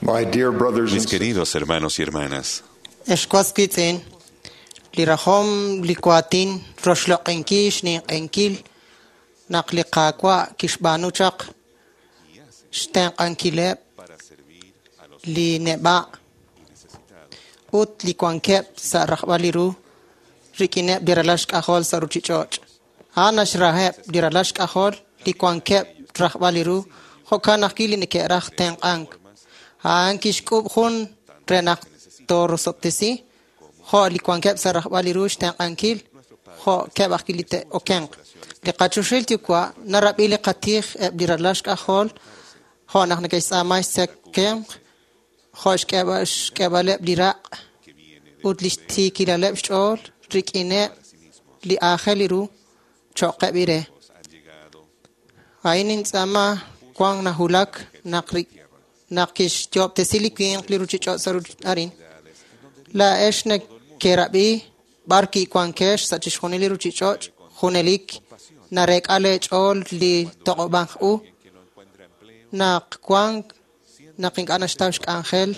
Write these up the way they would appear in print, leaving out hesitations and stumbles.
My dear brothers Mis and sisters, queridos hermanos y hermanas, Ex was wiitz'in, li rajom li waatin roxloq'inkil xninq'ehinkil naq li Qaawa' kixb'aanu chaq xtenq'ankileb' li neb'a' ut li wankeb' sa' rajb'al li ru rik'ineb' li ralal xk'ajol sa' ruuchich'och'. A'an naxraheb' li ralal xk'ajol li wankeb' rajb'al li ru, jo'kan ajwi' li neke'raj tenq'ank. A'an kixk'ub' jun re naq toorosob'tesi, jo' li wankeb' sa' rajb'al li ru xtenq'ankil, jo'keb' ajwi' li te'okenq. Li qachoxahil Yuwa' narab'i li qatij eb' li ralal xk'ajol, jo' naq neke'xtz'aama xtzekemq, jo' xk'eeb'aleb' li raq' ut li xtiikilaleb' xch'ool rik'ineb' li aajel li ru cho'qeb' ire. A'in nintz'aama wank nawulak naq naq kixyoob'tesi li winq li ruuchich'och' sa' arin. Laa'ex nekerab'i b'ar kiwankex sa' chixjunil li ruuchich'och' junelik nareek'a leech'ool li toq'ob'ank u naq wank naq ink'a' naxtaw xk'anjel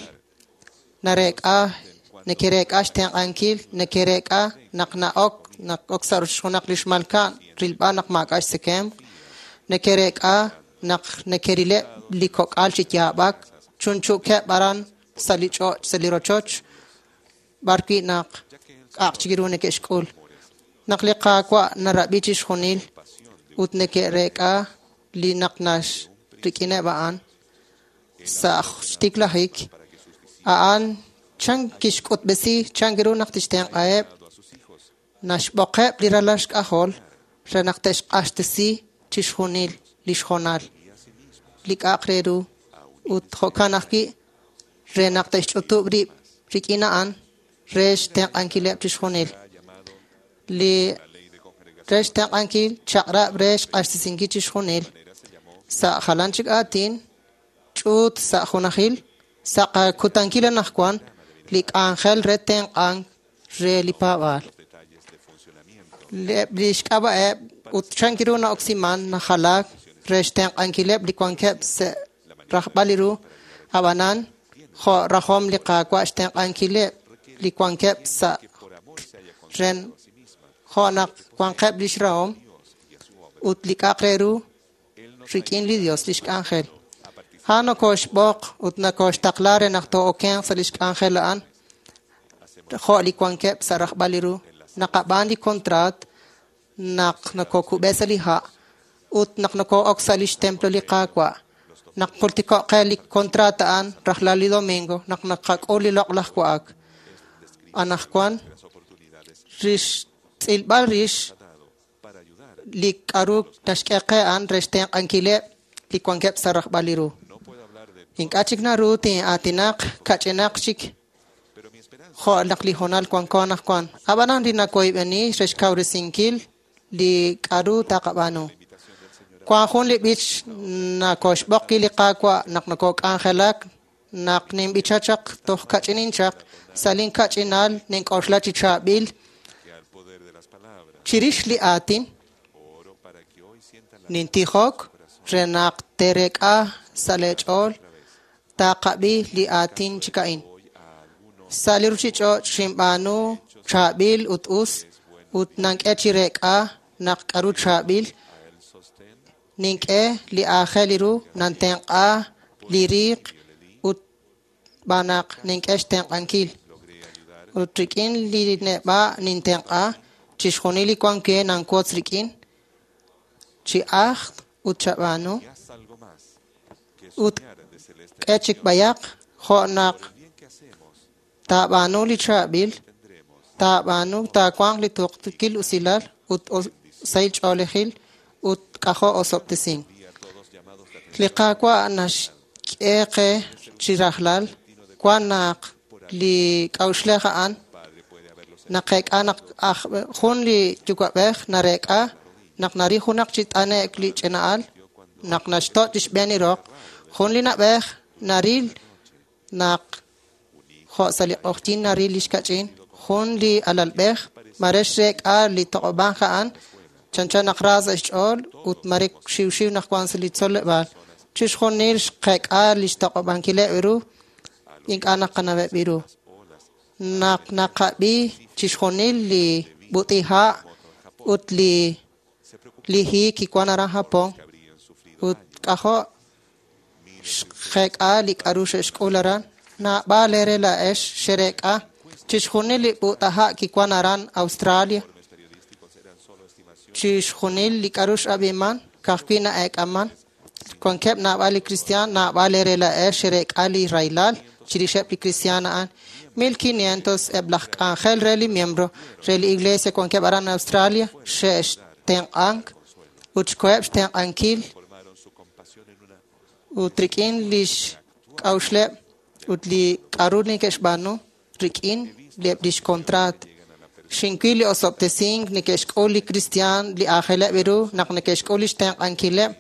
nareek'a nekereek'a xtenq'ankil nekereek'a naq na'ok naq ok sa' junaq li xmalka'n rilb'al naq maak'a' xtzekemq nekereek'a naq nekerileb' li kok'al chi yaab'ak chunchu'keb' aran sa' li ch'och' sa' li rochoch b'ar wi' naq k'a'aq chik ru neke'xk'ul. Naq li Qaawa' narab'i chixjunil ut neke'reek'a li naq nax rik'ineb' a'an sa' xtiklajik, a'an chan kixk'utb'esi chan ru naq tixtenq'aheb' naxb'oqeb' li ralal xk'ajol re naq te'xq'axtesi chixjunil li xjonal li k'a'aq re ru ut jo'kan ajwi' re naq te'xch'utub' rib' rik'in a'an re xtenq'ankileb' chixjunil. Li re xtenq'ankil chaq'rab' re xq'axtesinkil chixjunil sa' jalan chik aatin ch'uut sa' junajil sa' qakutankil anaqwan li k'anjel re tenq'ank re li paab'aal. Eb' li xk'ab'a'eb' ut chan ru na'oksiman najalaak re xtenq'ankileb' li wankeb' sa' rajb'al li ru, ab'anan jo' rajom li Qaawa' xtenq'ankileb' li wankeb' sa' ren jo' naq wanqeb' li xrahom ut li k'a'aq re ru rik'in li Dios li xk'anjel. A'an nokoxb'oq ut nokoxtaqla re naq too'okenq sa' li xk'anjel a'an jo' li wankeb' sa' rajb'al li ru. Naqab'aan li kontraat naq nokokub'e sa' li ha' ut naq noko'ok sa' li xtemplo li Qaawa'. Naq jultiko'q qe li kontraat a'an rajlal li domingo naq naqak'ul li loq'laj wa'ak. Anaqwan rix tz'ilb'al rix li k'a'ru naxk'e qe a'an re xtenq'ankileb' li wankeb' sa' rajb'al li ru. Ink'a' chik naru tin'aatinaq kach'inaq chik jo' naq li hoonal wanko anaqwan. Ab'anan li nawoyb'eni re xkawresinkil li k'a'ru taqab'aanu. Wank jun li b'ich nakoxb'oq wi' li Qaawa' naq nokok'anjelak naq ninb'icha chaq toj kach'inin chaq sa' linkach'inal nink'oxla chi chaab'il chirix li aatin nintijok re naq teereek'a sa' leech'ool taqab'i li aatin chik a'in. Sa' li ruuchich'och' xinb'aanu chaab'il ut us ut nank'e chi reek'a naq k'a'ru chaab'il nink'e li aajel li ru nantenq'a li riiq ut b'anaq nink'e xtenq'ankil. Ut rik'in li neb'a' nintenq'a chixjunil li wank we nanwotz rik'in chi ajt ut chab'aanu ut k'e chik b'ayaq jo' naq taab'aanu li chaab'il taab'aanu taawanq li tuqtuukil usilal ut sahil ch'oolejil ut k'ajo' osob'tesink. Li Qaawa' naxk'e qe chi rajlal wan naq li k'a'uxlej a'an naqeek'a naq jun li yuwa'b'ej nareek'a naq naril junaq chi t'ane'k li ch'ina'al naq naxto' chixb'een li roq jun li na'b'ej naril naq jo' sa' li q'oqyink naril li xkach'in jun li alalb'ej mare xreek'a li toq'ob'ank a'an chanchan naq ra sa' xch'ool ut mare xiwxiw naq wank sa' li tzoleb'aal. Chixjunil xqeek'a li xtoq'ob'ankileb' ru ink'a' naqanaweb' ru. Naq naqab'i chixjunil li b'ut'iha' ut li li hiik kiwan aran Japón ut k'ajo' xqeek'a li k'aru xe'xk'ul aran, naab'al eere laa'ex xereek'a chixjunil li b'ut'aha' kiwan aran Australia, chixjunil li k'aru x'ab'iman, ka'ajwi' na'eek'aman, wankeb' naab'al li kristiaan, naab'al eere laa'ex xereek'a li rahilal chirixeb' li kristiaan a'an. 1500 eb' laj k'anjel re li miembro re li iglesia wankeb' aran Australia xe'xtenq'ank ut xkoheb' xtenq'ankil ut rik'in lix k'a'uxleb' ut li k'aru neke'xb'aanu rik'in eb' lix kontraat. Xinwil li osob'tesink neke'xk'ul li kristiaan li aajeleb' ru naq neke'xk'ul lix tenq'ankileb'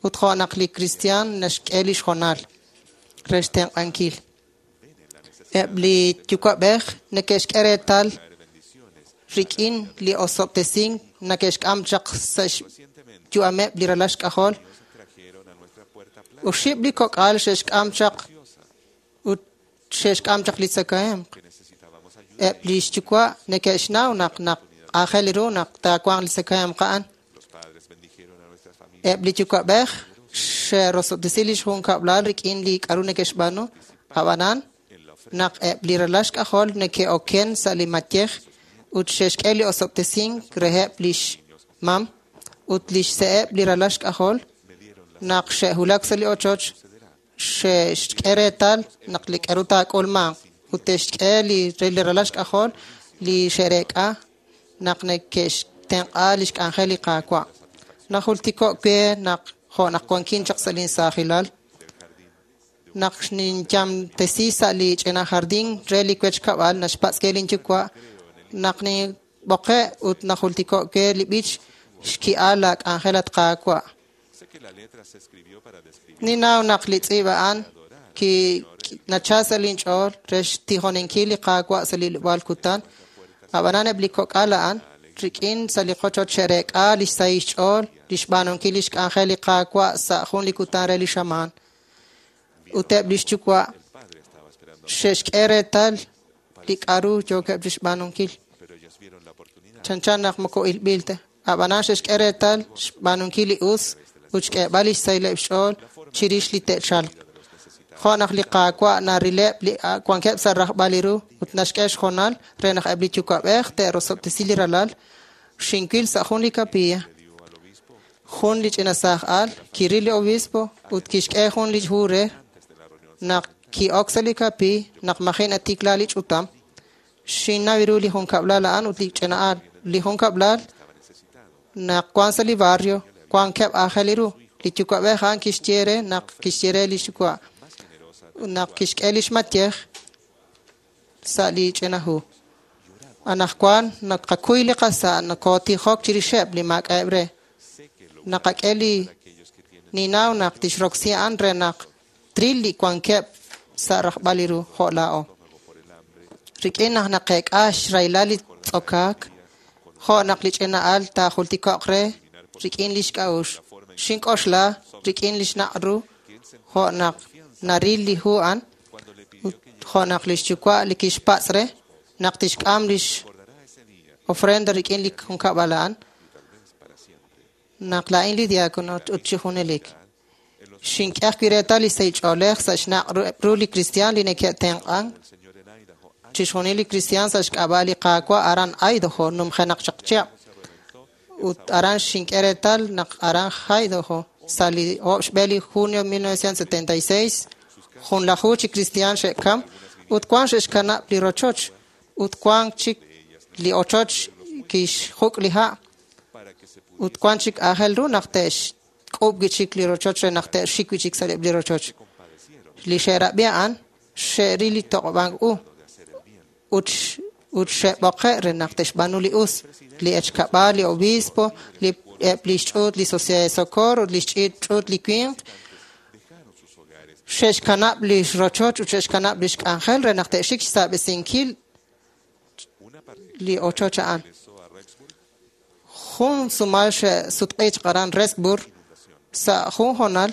ut jo' naq li kristiaan naxk'e lix hoonal re xtenq'ankil. Eb' li yuwa'b'ej neke'xk'e reetal rik'in li osob'tesink neke'xk'am chaq sa' xyu'ameb' li ralal xk'ajol. Oxib' li kok'al xe'xk'am chaq ut xe'xk'am chaq li tzakahemq. Eb' li xyuwa' neke'xnaw naq naq aajel ru naq taawanq li tzakahemq a'an. Eb' li yuwa'b'ej xe'rosob'tesi lix junkab'lal rik'in li k'aru neke'xb'aanu, ab'anan naq eb' li ralal xk'ajol neke'oken sa' li mayej ut xe'xk'e li osob'tesink reheb' lix mam ut lix se'eb' li ralal xk'ajol naq xe'wulak sa' li ochoch xe'xk'e reetal naq li k'aru taak'ulmanq ut te'xk'e li re li ralal xk'ajol li xe'reek'a naq neke'xtenq'a lix k'anjel li Qaawa'. Najultiko' we naq jo' naq wankin chaq sa' linsaajilal naq ninyamtesi sa' li ch'ina jardín re li wech kab'al naxpatz' ke linyuwa' naq ninb'oqe' ut najultiko' we li b'ich xki'al la k'anjel at Qaawa'. Ninnaw naq li tz'iib' a'an ki nachal sa' linch'ool re xtijoninkil li Qaawa' sa' li hilob'aal kutan, ab'anan eb' li kok'al a'an rik'in sa' li qochoch xe'reek'a lix sahil xch'ool li xb'aanunkil lix k'anjel li Qaawa' sa' jun li kutan re li xamaan. Ut eb' lix yuwa' xe'xk'e reetal li k'aru yookeb' chixb'aanunkil. Chanchan naq moko ilb'il ta. Ab'anan xe'xk'e reetal xb'aanunkil li us ut xk'eeb'al lix sahileb' xch'ool chirix li te'chalq. Jo' naq li Qaawa' narileb' li wankeb' sa' rajb'al li ru ut naxk'e xhoonal re naq eb' li yuwa'b'ej te'rosob'tesi li ralal, xinwil sa' jun li kapilla. Jun li ch'ina saaj al kiril li obispo ut kixk'e jun li hu re naq ki'ok sa' li kapi naq maji' natikla li ch'utam. Xinnaw ru li junkab'lal a'an ut li ch'ina al. Li junkab'lal naq wan sa' li barrio wankeb' aajel ru. Li yuwa'b'ej a'an kixye re naq kixye re li xyuwa' naq kixk'e lix mayej sa' li ch'ina hu. Anaqwan naqakuy li qasa' nakootijok chirixeb' li maak'a'eb' re. Naqak'e li ninaw naq tixroksi a'an re naq tril li wankeb' sa' rajb'al li ru jo' laa'o. Rik'in naq naqeek'a xrahilal li tz'okaak, jo' naq li ch'ina al taajultiko'q re rik'in lix k'a'uxl. Xink'oxla rik'in lix naq' ru jo' naq naril li hu a'an ut jo' naq lix yuwa' li kixpatz' re naq tixk'am lix ofrenda rik'in li junkab'al a'an naq laa'in li diácono ut chi junelik. Xink'e ajwi' reetal li sahil ch'oolej sa' xnaq' ru li kristiaan li neke'tenq'ank chixjunil li kristiaan sa' xk'ab'a' li Qaawa' aran Idaho numjenaq chaq chihab'. Ut aran xink'e reetal naq aran Idaho sa' li oob' xb'e li junio 1976 junlaju chi kristiaan xe'kam ut wan xe'xkanab' li rochoch ut wan chik li ochoch kixjuk' li ha' ut wan chik aajel ru naq te'xk'ub' wi' chik li rochoch re naq te'xik wi' chik sa' li rochoch. Li xe'rab'i a'an xe'ril li toq'ob'ank u ut ut xe'b'oqe' re naq te'xb'aanu li us, li echkab'al, li obispo, li eb' li xch'uut li Sociedad de Socorro ut li xch'uut li winq xe'xkanab' li rochoch ut xe'xkanab' li xk'anjel re naq te'xik xsaab'esinkil li ochoch a'an. Jun sumal xe'sutq'i chaq aran Rexburg sa' jun hoonal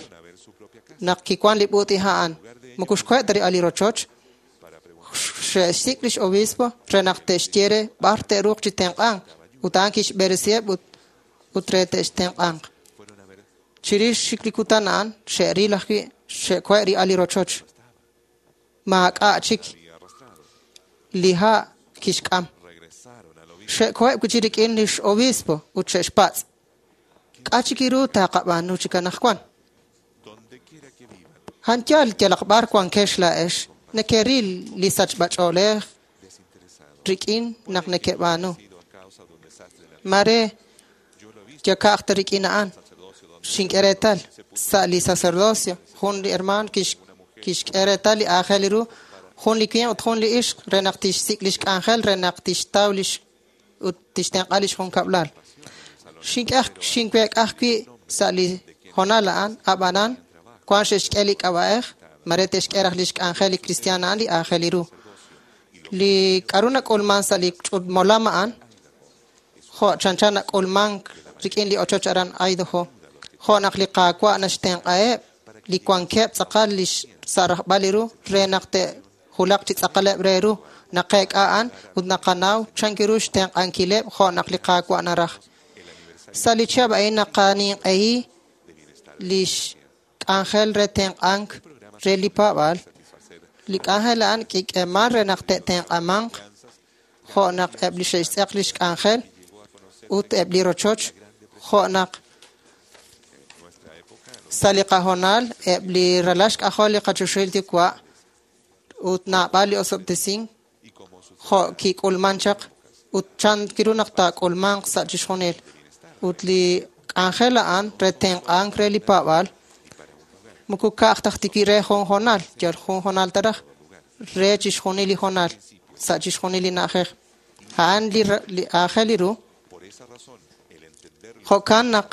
naq kiwan li b'uut'iha' a'an. Moko xkoheb' ta li rochoch. Xe'xsik' lix obispo re naq te'xye re b'ar te'ruuq chi tenq'ank, ut a'an kixb'eresiheb' ut ut re te'xtenq'anq. Chirix chik li kutan a'an, xe'ril ajwi' xe'kohe' ri'al li rochoch. Maak'a' chik li ha' kixk'am. Xe'koheb' wi' chik rik'in lix obispo ut xe'xpatz', K'a' chik ru taqab'aanu chik anaqwan? A'an yaal yalaq b'ar wankex laa'ex, nekeril li sachb'ach'oolej rik'in naq nekeb'aanu. Mare yaka'aj ta rik'in a'an. Xink'e reetal sa' li sacerdocio, jun li hermaan kixk'e reetal li aajel ru, jun li winq ut jun li ixq re naq tixsik' lix k'anjel re naq tixtaw lix ut tixtenq'a lix junkab'lal. Xink'e xinweek'a ajwi' sa' li hoonal a'an, ab'anan wan xe'xk'e li k'ab'a'ej, mare te'xk'e raj lix k'anjel li kristiaan a'an li aajel ru. Li k'a'ru nak'ulman sa' li ch'utmolam a'an, jo' chanchan nak'ulmank rik'in li ochoch aran Idaho, jo' naq li Qaawa' naxtenq'aheb' li wankeb' tz'aqal lix sa' rajb'al li ru re naq te'wulaq chi tz'aqaleb' re ru, naqeek'a a'an ut naqanaw chan ru xtenq'ankileb' jo' naq li Qaawa' naraj. Sa' li chihab' a'in naqaninq'ehi lix k'anjel re tenq'ank re li paab'aal. Li k'anjel a'an kik'eeman re naq te'tenq'amanq jo' naq eb' li xe'xtz'eq lix k'anjel ut eb' li rochoch, jo' naq sa' li qahoonal eb' li ralal xk'ajol li qachoxahil Yuwa' ut naab'al li osob'tesink jo' kik'ulman chaq ut chan ru naq taak'ulmanq sa' chixjunil. Ut li k'anjel a'an re tenq'ank re li paab'aal moko ka'aj ta ajwi' re jun hoonal, yal jun hoonal ta raj, re chixjunil li hoonal, sa' chixjunil li na'ajej. A'an li li aajel ru. Jo'kan naq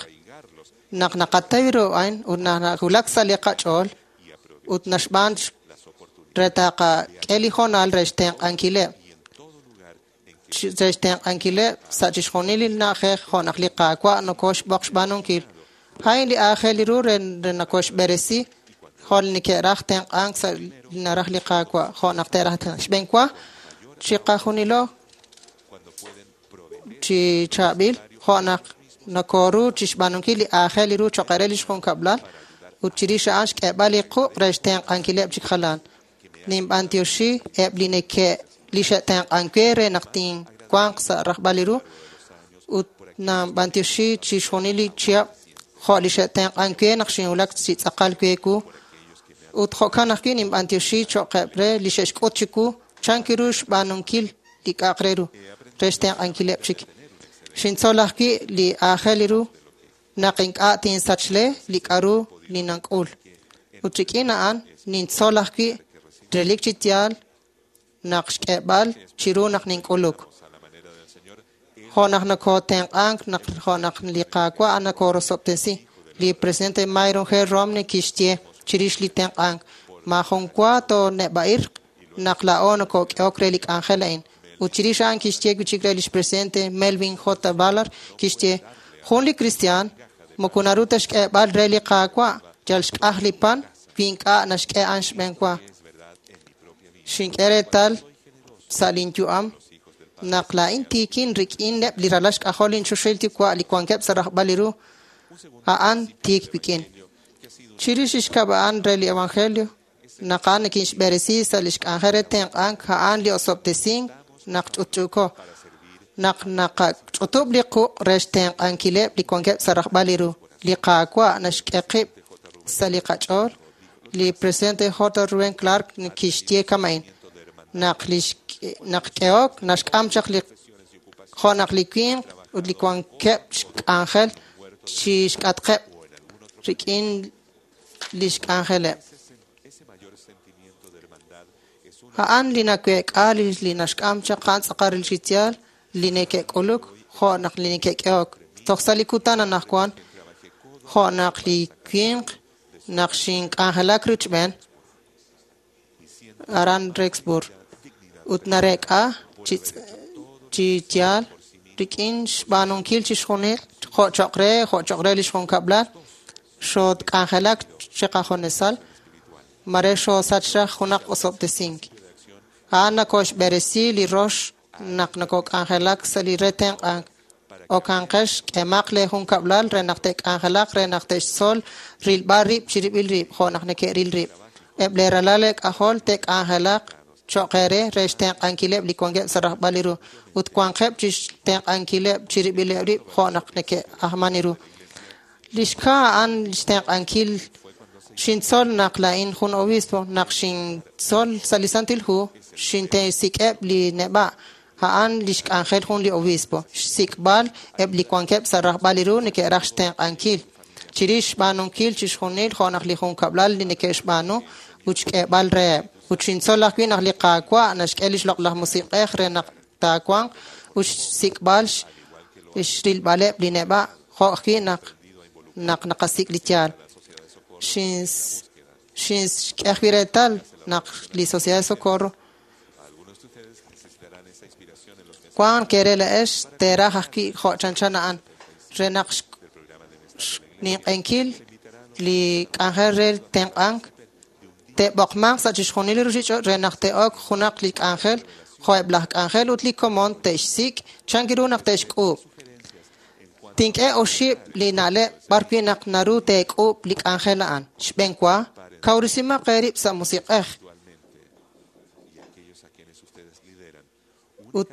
naq naqataw ru a'in ut nawulak sa' li qach'ool ut naxb'aan re taqak'e li hoonal re xtenq'ankileb', re xtenq'ankileb' sa' chixjunil li na'ajej jo' naq li Qaawa' nokoxb'oq xb'aanunkil. A'in li aajel ru re nokoxb'eresi jo' li neke'raj tenq'ank sa' li naraj li Qaawa' jo' naq te'raj tenq'ank. Xb'een wa chiqajunilo chi chaab'il jo' naq nokoru chixb'aanunkil li aajel ru choq' re lix junkab'lal ut chirix a'an xk'eeb'al li quq' re xtenq'ankileb' chik jalan. Ninb'antioxi eb' li neke' li xe'tenq'ank we re naq tinwanq sa' rajb'al li ru ut ninb'antioxi chixjunil li chihab' jo' li xe'tenq'ank we naq xinwulak chi tz'aqal we wu ut jo'kan ajwi' ninb'antioxi cho'qeb' re li xe'xk'ut chiwu chan ru xb'aanunkil li k'a'aq re ru re xtenq'ankileb' chik. Xintzol ajwi' li aajel ru naq ink'a' tinsachle li k'a'ru li nank'ul. Ut rik'in a'an nintzol ajwi' relik chi yaal naq xk'eeb'al chiru naq nink'uluk. Jo' naq nokotenq'ank naq jo' naq li Qaawa' nokorosob'tesi. Li presidente Myron G. Romney kixye chirix li tenq'ank, maajun wa tooneb'a'irq naq laa'o nokok'ehok re li k'anjel a'in. Ut chirix a'an kixye wi' chik re lix presidente Melvin J. Ballard, kixye, jun li kristiaan moko naru ta xk'eeb'al re li Qaawa' yal xk'aj li pan wi ink'a' naxk'e a'an xb'een wa. Xink'e reetal sa' lin yu'am naq laa'in tiikin rik'ineb' li ralal xk'ajol linchoxahil Yuwa' li wankeb' sa' rajb'al li ru, a'an tiik wik'in. Chirix lix xkab' a'an re li evangelio, naq a'an nikinxb'eresi sa' lix k'anjel re tenq'ank, a'an li osob'tesink naq ch'utch'uuko, naq naqach'utub' li quq' re xtenq'ankileb' li wankeb' sa' rajb'al li ru. Li Qaawa' naxk'e qib' sa' li qach'ool. Li presidente J. Reuben Clark kixye kama'in, naq lix naq k'ehok naxk'am chaq li jo' naq li winq ut li wankeb' xk'anjel chi xk'atqeb' rik'in lix k'anjeleb'. A'an li naweek'a li naxk'am chaq a'an tz'aqal li yaal li neke'k'uluk jo' naq li neke'k'ehok. Toj sa' li kutan anaqwan jo' naq li winq naq xink'anjelak rochb'een aran Rexburg ut nareek'a chi yaal rik'in xb'aanunkil chixjunil jo' choq' re jo' choq' re lix junkab'lal xootk'anjelak chiqajunesal mare xoosach raj junaq osob'tesink. A'an nakoxb'eresi li rox naq nakok'anjelak sa' li re tenq'ank. Okanqex k'emaq lee junkab'lal re naq te'k'anjelaq re naq te'xtzol rilb'al rib' chirib'il rib' jo' naq neke'ril rib'. Eb' lee ralal eek'ajol te'k'anjelaq cho'q eere re xtenq'ankileb' li wankeb' sa' rajb'al li ru ut wanqeb' chixtenq'ankileb' chirib'ileb' rib' jo' naq neke'ajman ru. Li xkaa a'an xtenq'ankil xintzol naq laa'in jun obispo, naq xintzol sa' li Santil Hu, xintesik'eb' li neb'a'. A'an lix k'anjel jun li obispo. Xsik'b'al eb' li wankeb' sa' rajb'al li ru neke'raj xtenq'ankil. Chirix xb'aanunkil chixjunil jo' naq li junkab'lal li neke'xb'aanu ut xk'eeb'al reheb'. Ut xintzol ajwi' naq li Qaawa' naxk'e lix loq'laj musiq'ej re naq taawanq ut xsik'b'al xrilb'aleb' li neb'a' jo' ajwi' naq naq naqasik' li yaal. Xinxk'e ajwi' reetal naq li Sociedad de Socorro wank eere laa'ex teeraj ajwi' jo' chanchan a'an re naq xninq'enkil li k'anjel re tenq'ank te'b'oqmanq sa' chixjunil li ruchich'och' re naq te'ok junaq li k'anjel jo' eb' laj k'anjel ut li komon te'xsik' chan ru naq te'xk'uub'. Tink'e oxib' li na'leb' b'arwi' naq naru teek'uub' li k'anjel a'an. Xb'een wa, kawresimaq eerib' sa' musiq'ej Y aquellos a quienes ustedes lideran ut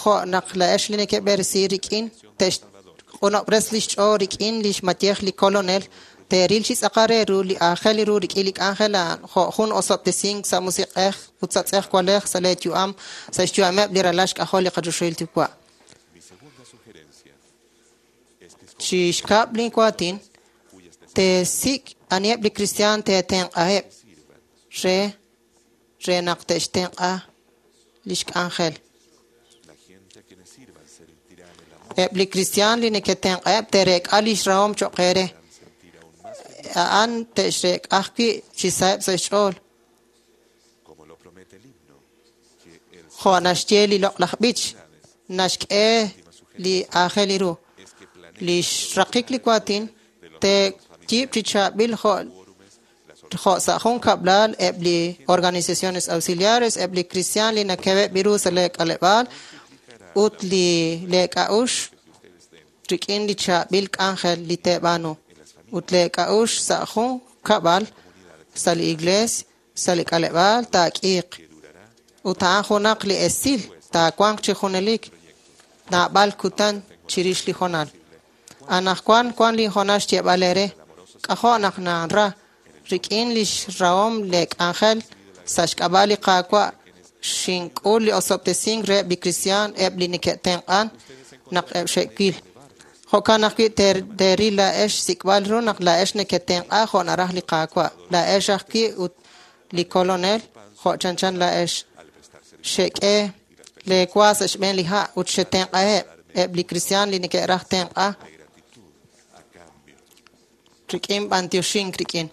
jo' naq laa'ex li neke'b'eresi rik'in te'xq'unob'res lix ch'ool rik'in lix mayej li Kolonel teeril chi tz'aqal re ru li aajel ru rik'in li k'anjel a'an jo' jun osob'tesink sa' musiq'ej ut sa' tz'ejwalej sa' lee yu'am sa' xyu'ameb' li ralal xk'ajol li qachoxahil Yuwa'. Mi segunda sugerencia es que escojan Chi xkab' lin waatin cuyas teesik' aniheb' li kristiaan teetenq'aheb' sirvan. re re naq te'xtenq'a lix k'anjel. La gente a quienes sirvan sentirán el amor, Eb' li kristiaan li neketenq'aheb' te'reek'a lix rahom cho'q eere. sentir aún más A'an te'xreek'a ajwi' chi saheb' sa' xch'ool. como lo promete el himno, que el Jo' naxye li loq'laj b'ich, naxk'e li aajel ru. es que planeen Li xraqik li waatin teeyiib' chi chaab'il jo' quórumes, las jo' sa' jun kab'lal eb' li organizaciones auxiliares, eb' li kristiaan li nakeb'eb' ru sa' lee k'aleb'aal ut li lee k'a'uxl que ustedes den rik'in li chaab'il k'anjel li teeb'aanu. Ut lee k'a'uxl sa' jun kab'al sa' li iglees, sa' li k'aleb'aal taak'iiq. que durará Ut a'an junaq li esil taawanq chi junelik naab'al kutan chirix li honal. Anaqwan wan li honal xyeeb'al eere. K'ajo' naq nanra rik'in lix rahom lee k'anjel sa' xk'ab'a' li Qaawa' xink'ul li osob'tesink reheb' li kristiaan eb' li neke'tenq'an naq eb' xe'wil. Jo'kan ajwi' teeril laa'ex xsik'b'al ru naq laa'ex neketenq'a jo' naraj li Qaawa'. Laa'ex ajwi' ut li Kolonel jo' chanchan laa'ex. al prestar servicio Xek'e lee wa sa' xb'een li ha' ut xetenq'aheb' eb' li kristiaan li neke'raj tenq'a de gratitud a cambio. rik'in b'antioxink rik'in.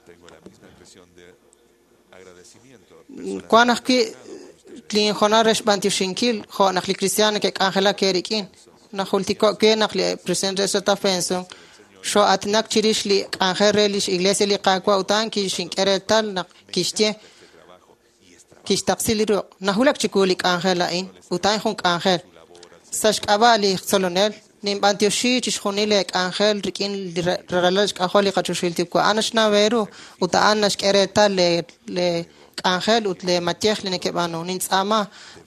Tengo la misma expresión de agradecimiento Wan ajwi' linjonal re xb'antioxinkil jo' naq li kristiaan neke'k'anjelak eerik'in. Najultiko' we naq li presidente Ezra Benson xo'aatinak chirix li k'anjel re lix iglesia li Qaawa' ut a'an kixink'e reetal naq kixye kixtaqsi li ruq'. Najulak chiwu li k'anjel a'in ut a'in jun k'anjel. Sa' xk'ab'a' li tzolonel, ninb'antioxi chixjunil lee k'anjel rik'in li ralal xk'ajol li qachoxahil Yuwa'. A'an naxnaw eeru ut a'an naxk'e reetal lee lee k'anjel ut lee mayej li neke'b'aanu. Nintz'aama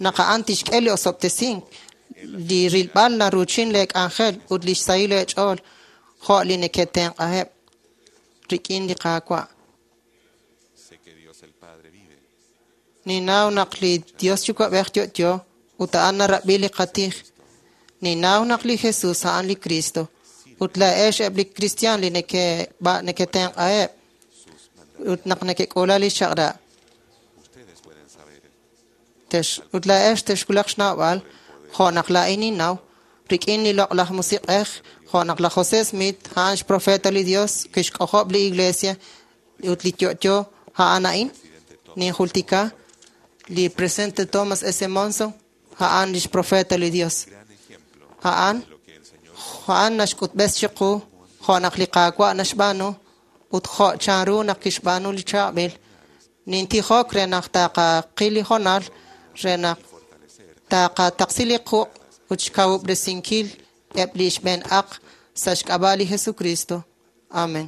naq a'an tixk'e li osob'tesink, li rilb'al naruuchin lee k'anjel ut lix sahil eech'ool jo' li neketenq'aheb' rik'in li Qaawa'. Sé que Dios el Padre vive Ninnaw naq li Dios Yuwa'b'ej yo'yo ut a'an narab'i li qatij. Ninnaw naq li Jesus a'an li Cristo ut laa'ex eb' li kristiaan li neketenq'aheb' sus mandatos. ut naq nekek'uula li chaq'rab'. Ustedes pueden saber Ut laa'ex texwulaq xnawb'al jo' naq laa'in ninnaw rik'in li loq'laj musiq'ej jo' naq laj José Smith a'an xprofeta li Dios kixk'ojob' li iglesia ut li yo'yo a'an a'in. Ninjultika li presidente Thomas S. Monson a'an lix profeta li Dios. gran ejemplo A'an de lo que el Señor a'an naxk'utb'es chiqu jo' naq li Qaawa' naxb'aanu ut jo' chanru naq kixb'aanu li chaab'il. Nintijok re naq taqaqil li hoonal re naq taqataqsi li quq' ut xkawub'resinkil eb' li xb'een aq sa' xk'ab'a' li Jesukristo. Amen.